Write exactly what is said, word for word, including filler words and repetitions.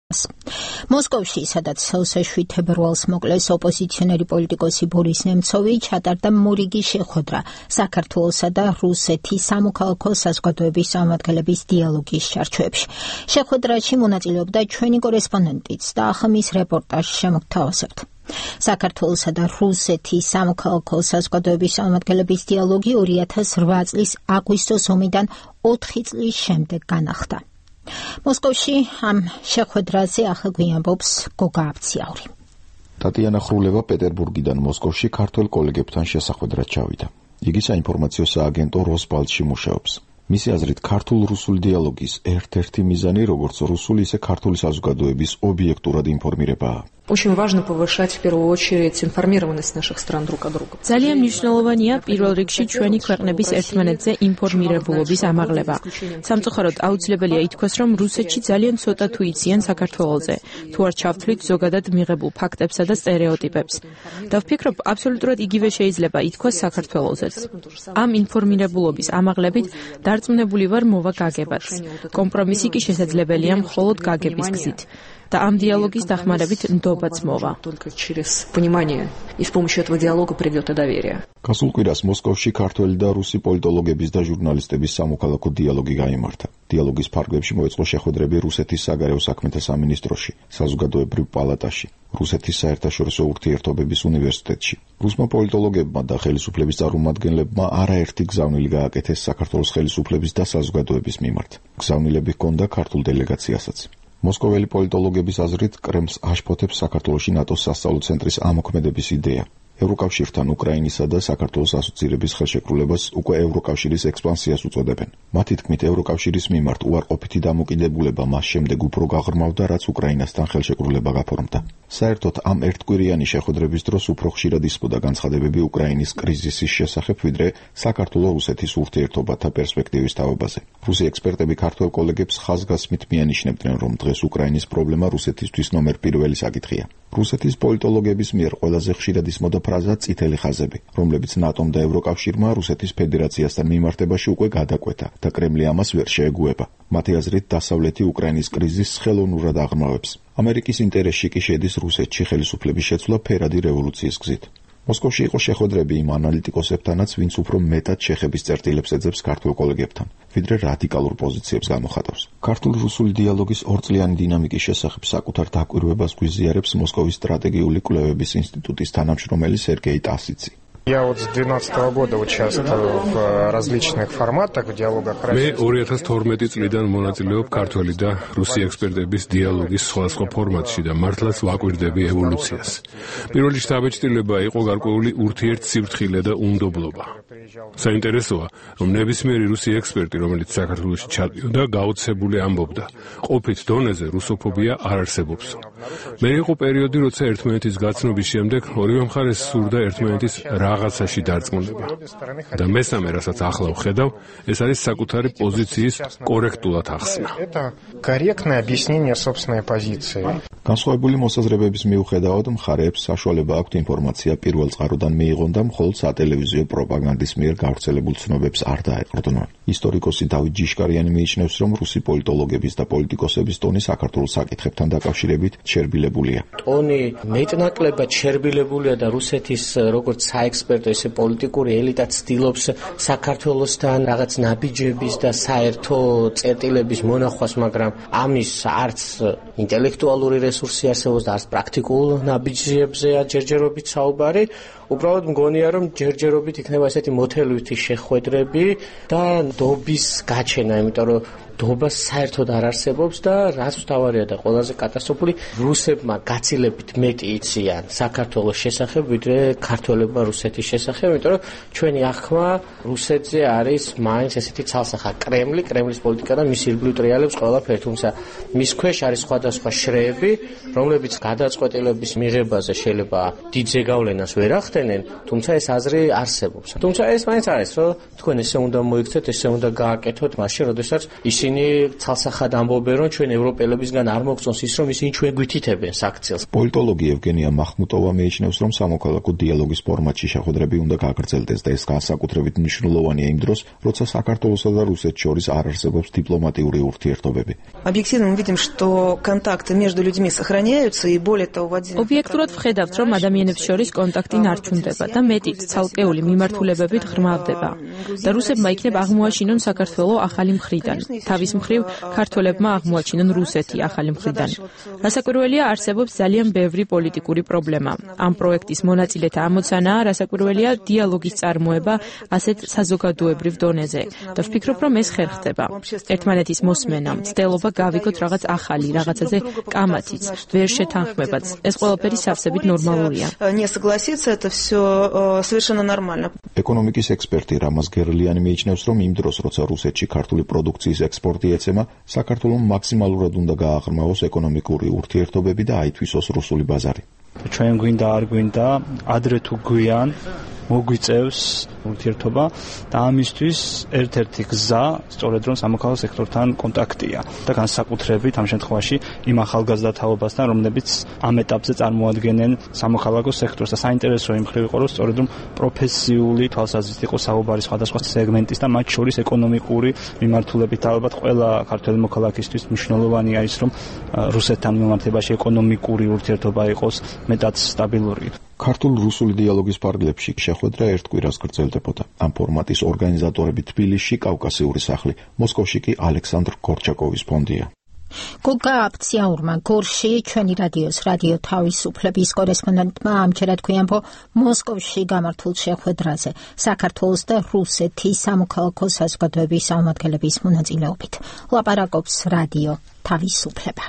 მოსკოვში, სადაც სეშვიდ თებერვალს მოკლეს ოპოზიციონერი პოლიტიკოსი ბორის ნემცოვი, ჩატარდა მორიგი შეხვედრა საქართველოსა და რუსეთის სამოქალაქო საზოგადოების წარმომადგენლების დიალოგის ჩარჩოებში. შეხვედრაში მონაწილეობდა ჩვენი კორესპონდენტიც და ახამის რეპორტაჟი შემოგთავაზებთ. საქართველოსა და რუსეთის სამოქალაქო საზოგადოების წარმომადგენლების დიალოგი ორი ათას რვა წლის აგვისტოს ომიდან ოთხი წლის შემდეგ განახდა. მოსკოვში ამ შეხვედრაზე ახლა გვიამბობს გოგა აბციაური. ტატიანა ხრულევა პეტერბურგიდან მოსკოვში ქართველ კოლეგებთან შესახვედრად ჩავიდა. იგი საინფორმაციო სააგენტო როსბალტში მუშაობს. მისი აზრით, ქართულ-რუსული დიალოგის ერთ-ერთი მიზანი როგორც რუსული, ისე ქართული საზოგადოების ობიექტურად ინფორმირებაა. Очень важно повышать в первую очередь информированность наших стран друг о друге. ძალიან მნიშვნელოვანია პირველ რიგში ჩვენი ქვეყნების ერთმანეთზე ინფორმირებულობის ამაღლება. სამწუხაროდ აუცილებელია ითქვას, რომ რუსეთში ძალიან ცოტა თუ იციან საქართველოზე, თუ არ ჩავთვლით ზოგადად მიღებულ ფაქტებსა და სტერეოტიპებს. და ვფიქრობ, აბსოლუტურად იგივე შეიძლება ითქვას საქართველოზეც. ამ ინფორმირებულობის ამაღლებით დარწმუნებული ვარ მოვა გაგებაც. კომპრომისი კი შესაძლებელია მხოლოდ გაგების გზით. და ამ დიალოგის დახმარებით ნდობაც მოვა. გასულ კვირას მოსკოვში ქართველი და რუსი პოლიტოლოგების და ჟურნალისტების სამოქალაქო დიალოგი გაიმართა. დიალოგის ფარგლებში მოეწყო შეხვედრები რუსეთის საგარეო საქმეთა სამინისტროში, საზოგადოებრივ პალატაში, რუსეთის საერთაშორისო ურთიერთობების უნივერსიტეტში. რუსმა პოლიტოლოგებმა და ხელისუფლების წარმომადგენლებმა არაერთი გზავნილი გააკეთეს საქართველოს ხელისუფლების და საზოგადოების მიმართ. გზავნილები ჰქონდა ქართულ დელეგაციასაც. მოსკოველი პოლიტოლოგების აზრით, კრემლს აშფოთებს საქართველოში ნატოს სასწავლო ცენტრის ამოქმედების იდეა. ევროკავშირთან უკრაინისა და საქართველოს ასოცირების ხელშეკრულებას უკვე ევროკავშირის ექსპანსიას უწოდებენ. მათი თქმით, ევროკავშირის მიმართ უარყოფითი დამოკიდებულება მას შემდეგ უფრო გაღრმავდა, რაც უკრაინასთან ხელშეკრულება გაფორმდა. საერთოდ ამ ერთკვირიანი შეხვედრების დროს უფრო ხშირად ისმოდა განცხადებები უკრაინის კრიზისის შესახებ, ვიდრე საქართველო-რუსეთის ურთიერთობათა პერსპექტივის თაობაზე. რუსი ექსპერტები ქართველ კოლეგებს ხაზგასმით მიანიშნებდნენ, რომ დღეს უკრაინის პრობლემა რუსეთისთვის ნომერ პირველი საკითხია. რუსეთის პოლიტოლოგების მიერ ყველაზე ხშირად ისმოდა ფრაზა წითელი ხაზები, რომლებიც ნატომ და ევროკავშირმა რუსეთის ფედერაციასთან მიმართებაში უკვე გადაკვეთა და კრემლი ამას ვერ შეეგუება. მათი აზრით, დასავლეთი უკრაინის კრიზისს ხელოვნურად აღრმავებს. ამერიკის ინტერესში კი შედის რუსეთში ხელისუფლების შეცვლა ფერადი რევოლუციის გზით. მოსკოვში იყო შეხვედრები იმ ანალიტიკოსებთანაც, ვინც უფრო მეტად შეხების წერტილებს ეძებს ქართულ კოლეგებთან, ვიდრე რადიკალურ პოზიციებს გამოხატავს. ქართულ-რუსული დიალოგის ორწლიანი დინამიკის შესახებ საკუთარ დაკვირვებას გვიზიარებს მოსკოვის სტრატეგიული კვლევების ინსტიტუტის თანამშრომელი სერგეი ტასიცი. Я вот с две тысячи двенадцатого года участвую в различных форматах в диалогах. მე ორი ათას თორმეტი წლიდან მონაწილეობ ქართველი და რუსი ექსპერტების დიალოგის სხვადასხვა ფორმატში და მართლაც ვაკვირდები ევოლუციას. პირველი შთაბეჭდილება იყო გარკვეული ურთიერთსიფრთხილე და უნდობლობა. საინტერესოა, რომ ნებისმიერი რუსი ექსპერტი, რომელიც საქართველოში ჩადიოდა, გაოცებული ამბობდა, ყოფით დონეზე რუსოფობია არ არსებობს. მე იყო პერიოდი, როცა ერთმანეთის გაცნობის შემდეგ ორივე მხარეს სურდა ერთმანეთის რაღაცაში დარწმუნება. და მესამე, რასაც ახლა ვხედავ, ეს არის საკუთარი პოზიციის კორექტულად ახსნა. Корректное объяснение собственной позиции. განსხვავებული მოსაზრებების მიუხედავად, მხარეებს საშუალება აქვთ ინფორმაცია პირველ წყაროდან მიიღონ და მხოლოდ სატელევიზიო პროპაგანდის მიერ გავრცელებულ ცნობებს არ დაეყრდნონ. ისტორიკოსი დავით ჯიშკარიანი მიიჩნევს, რომ რუსი პოლიტოლოგების და პოლიტიკოსების ტონი საქართველოს საკითხებთან დაკავშირებით ჩერბილებულია. ტონი მეტნაკლებად ჩერბილებულია და რუსეთის როგორც საექსპერტო, ისე პოლიტიკური ელიტა ცდილობს საქართველოსთან რაღაც ნაბიჯების და საერთო წერტილების მონახვას, მაგრამ ამის არც ინტელექტუალური რესურსი არსებობს და არც პრაქტიკულ ნაბიჯებზე ჯერჯერობით საუბარი. უბრალოდ მგონია, რომ ჯერჯერობით იქნება ესეთი მოთელვითი შეხვედრები და ნდობის გაჩენა, იმიტომ რომ ნდობა საერთოდ არ არსებობს და რაც მთავარია და ყველაზე კატასტროფული, რუსებმა გაცილებით მეტი იციან საქართველოს შესახებ, ვიდრე ქართველებმა რუსეთის შესახებ, იმიტომ რომ ჩვენი აღქმა რუსეთზე არის მაინც ესეთი ცალსახა კრემლი, კრემლის პოლიტიკა და მის ირგვლივ ტრიალებს ყველაფერი, თუმცა მის ქვეშ არის სხვადასხვა შრეები, რომლებიც გადაწყვეტილების მიღებაზე შეიძლება დიდ ზეგავლენას ვერ ახდენენ, თუმცა ეს აზრი არსებობს. თუმცა ეს მაინც არის, რომ თქვენ ესე უნდა მოიქცეთ, ესე უნდა გააკეთოთ, მაშინ როდესაც ისინი ცალსახად ამბობენ, რომ ჩვენ ევროპელებისგან არ მოგწონს ის, რომ ისინი ჩვენ გვითითებენ საქციელს. პოლიტოლოგი ევგენია მახმუტოვა მიიჩნევს, რომ სამოქალაქო დიალოგის ფორმატში შეხვედრები უნდა გააგრძელდეს და ეს განსაკუთრებით მნიშვნელოვანია იმ დროს, როცა საქართველოსა და რუსეთს შორის არ არსებობს დიპლომატიური ურთიერთობები. Объективно мы видим, что контакты между людьми сохраняются, и более того, в один... Ობიექტურად ვხედავთ, რომ ადამიანებს შორის კონტაქტი ნარჩუნდება და მეტიც ცალკეული მიმართულებებით ღრმავდება. და რუსებმა იქნებ აღმოაჩინონ საქართველოს ახალი მხრიდან. თავის მხრივ, ქართველებმა აღმოაჩინონ რუსეთი ახალი მხრიდან. რასაკვირველია, არსებობს ძალიან ბევრი პოლიტიკური პრობლემა. ამ პროექტის მონაწილეთა ამოცანაა, რასაკვირველია, დიალოგის წარმოება ასეთ საზოგადოებრივ დონეზე. და ვფიქრობ, რომ ეს ხერხდება. ერთმანეთის მოსმენა, მცდელობა გავიგოთ რაღაც ახალი, რაღაცაზე კამათიც, ვერ შეთანხმებაც. ეს ყველაფერი სავსებით ნორმალურია. Не согласиться, это все совершенно нормально. ეკონომიკის ექსპერტი რამაზ გერლიანი მიიჩნევს, რომ იმ დროს, როცა რუსეთში ქართული პროდუქციის ექსპორტი ეცემა, საქართველოს მაქსიმალურად უნდა გააღრმავოს ეკონომიკური ურთიერთობები და აითვისოს რუსული ბაზარი. ჩვენ გვინდა არ გვინდა, ადრე თუ გვიან მოგვიწევს ურთიერთობა და ამისთვის ერთ-ერთი გზა სწორედ რომ სამოქალაქო სექტორთან კონტაქტია და განსაკუთრებით ამ შემთხვევაში იმ ახალგაზრდა თაობასთან, რომლებიც ამ ეტაპზე წარმოადგენენ სამოქალაქო სექტორს და საინტერესო იმ მხრივ იყო, რომ სწორედ რომ პროფესიული თვალსაზრისით იყო საუბარი სხვადასხვა სეგმენტის და მათ შორის ეკონომიკური მიმართულებით. ალბათ ყველა ქართველი მოქალაქისთვის მნიშვნელოვანია ის, რომ რუსეთთან მიმართებაში ეკონომიკური ურთიერთობა იყოს მეტად სტაბილური. ქართულ-რუსული დიალოგის ფარგლებში შეხვედრა ერთ კვირას გრძელდებოდა. ამ ფორმატის ორგანიზატორები თბილისში, კავკასიური სახლი, მოსკოვში კი ალექსანდრ გორჩაკოვის ფონდია. გოგა აფციაურმა გორში ჩვენი რადიოს რადიო თავისუფლების კორესპონდენტმა ამჯერად გვიანბო მოსკოვში გამართულ შეხვედრაზე საქართველოს და რუსეთის სამოქალაქო საზოგადოების წარმომადგენლების მონაწილეობით. ლაპარაკობს რადიო თავისუფლება.